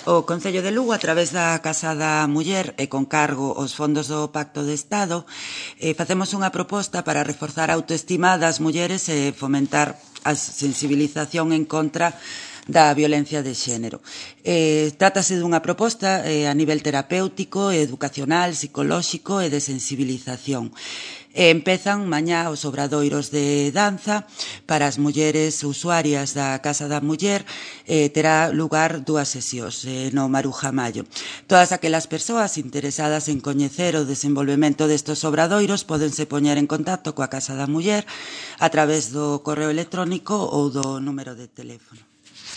O Concello de Lugo, a través da Casa da Muller e con cargo aos fondos do Pacto de Estado, facemos unha proposta para reforzar a autoestima das mulleres e fomentar a sensibilización en contra da violencia de xénero. Trátase dunha proposta a nivel terapéutico, educacional, psicolóxico e de sensibilización. Empezan mañá os obradoiros de danza para as mulleres usuarias da Casa da Muller. Terá lugar 2 sesións no Maruja Mallo. Todas aquelas persoas interesadas en coñecer o desenvolvemento destes obradoiros pódense poñer en contacto coa Casa da Muller a través do correo electrónico ou do número de teléfono.